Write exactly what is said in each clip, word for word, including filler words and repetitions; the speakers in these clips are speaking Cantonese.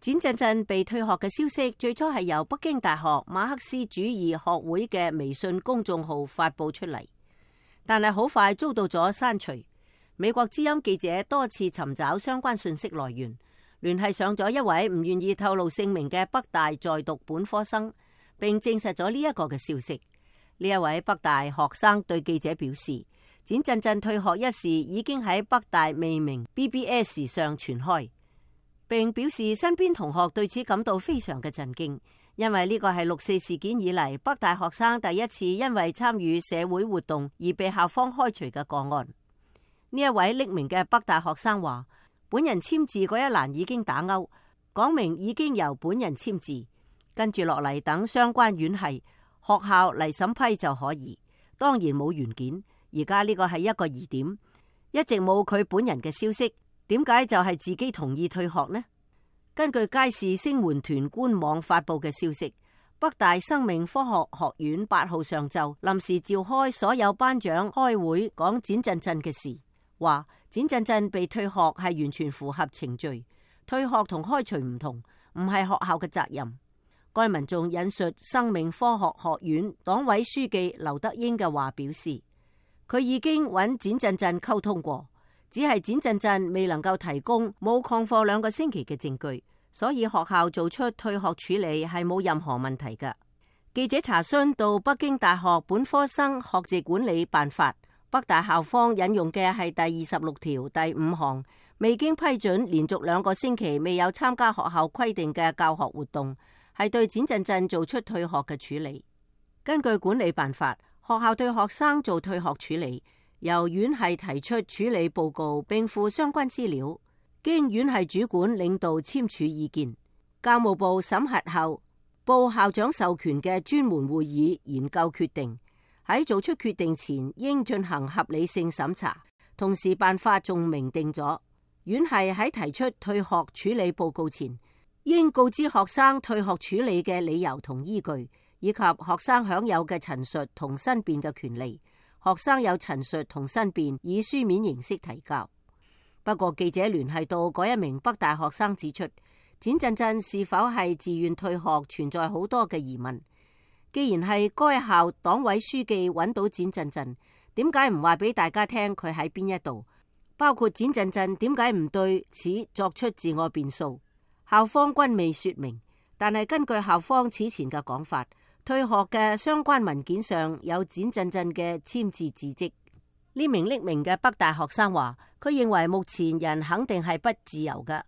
簡振振被退學嘅消息最初係由北京大學馬克思主義學會嘅微信公眾號發佈出嚟，但係好快遭到咗刪除。美國之音記者多次尋找相關信息來源，聯繫上咗一位唔願意透露姓名嘅北大在讀本科生，並證實咗呢一個嘅消息。呢一位北大學生對記者表示，簡振振退學一事已經喺北大未名 B B S 上傳開，並表示身邊同學對此感到非常嘅震驚，因為呢個係六四事件以嚟北大學生第一次因為參與社會活動而被校方開除嘅個案。呢一位匿名嘅北大學生話，本人簽字嗰一欄已經打勾，講明已經由本人簽字，跟住落嚟等相關院系學校嚟審批就可以。當然冇原件，而家呢個係一個疑點，一直冇佢本人嘅消息。點解就係自己同意退學呢？根據佳視聲援團官網發佈嘅消息，北大生命科學學院八號上晝臨時召開所有班長開會，講簡振振嘅事，話簡振振被退學係完全符合程序，退學同開除唔同，唔係學校嘅責任。該文仲引述生命科學學院黨委書記劉德英嘅話表示，佢已經揾簡振振溝通過。只係簡振振未能夠提供冇曠課兩個星期嘅證據，所以學校做出退學處理係冇任何問題㗎。記者查詢到北京大學本科生學籍管理辦法，北大校方引用嘅係第二十六條第五項，未經批准連續兩個星期未有參加學校規定嘅教學活動，係對簡振振做出退學嘅處理。根據管理辦法，學校對學生做退學處理，由院系提出處理報告並附相關資料，經院系主管領導簽署意見，教務部審核後報校長授權嘅專門會議研究決定。喺做出決定前應進行合理性審查，同時辦法仲明定咗，院系喺提出退學處理報告前應告知學生退學處理嘅理由同依據，以及學生享有嘅陳述同申辯嘅權利。學生有陳述同申辯以書面形式提交。不過記者聯繫到嗰一名北大學生指出，簡振振是否係自願退學存在好多嘅疑問。既然係該校黨委書記揾到簡振振，點解唔話俾大家聽佢喺邊一度？包括簡振振點解唔對此作出自我辯訴？校方均未說明。但係根據校方此前嘅講法，退學嘅相關文件上有簡振振嘅簽字字跡。呢名匿名嘅北大學生話，佢認為目前人肯定係不自由嘅。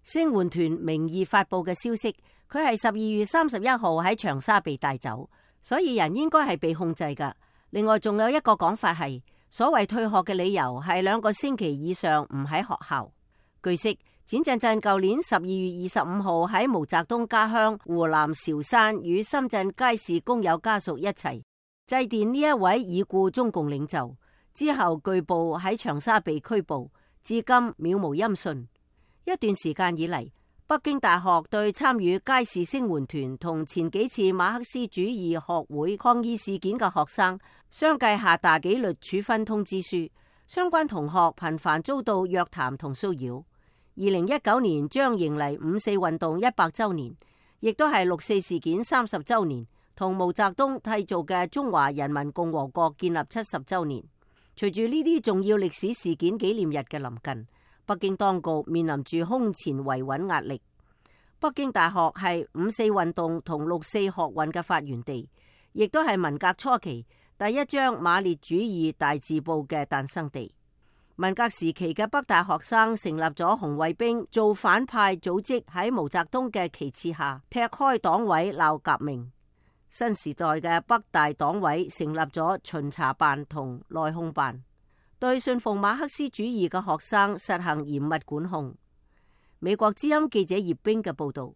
聲援團名義發佈嘅消息，佢係十二月三十一號喺長沙被帶走，所以人應該係被控制㗎。另外仲有一個講法係，所謂退學嘅理由係兩個星期以上唔喺學校。據悉，簡振振舊年十二月二十五號喺毛澤東家鄉湖南韶山與深圳佳視工友家屬一齊祭奠呢一位已故中共領袖，之後據報喺長沙被拘捕，至今渺無音訊。一段時間以嚟，北京大學對參與佳視聲援團同前幾次馬克思主義學會抗議事件嘅學生相繼下達紀律處分通知書，相關同學頻繁遭到約談同騷擾。二零一九年將迎嚟五四運動一百周年，亦都係六四事件三十周年，同毛澤東締造嘅中華人民共和國建立七十周年。隨住呢啲重要歷史事件紀念日嘅臨近，北京當局面臨住空前維穩壓力。北京大學係五四運動同六四學運嘅發源地，亦都係文革初期第一張馬列主義大字報嘅誕生地。文革時期嘅北大學生成立咗紅衛兵造反派組織，喺毛澤東嘅旗幟下踢開黨委鬧革命。新時代嘅北大黨委成立咗巡查辦同內控辦，對信奉馬克思主義嘅學生實行嚴密管控。美國之音記者葉冰嘅報道。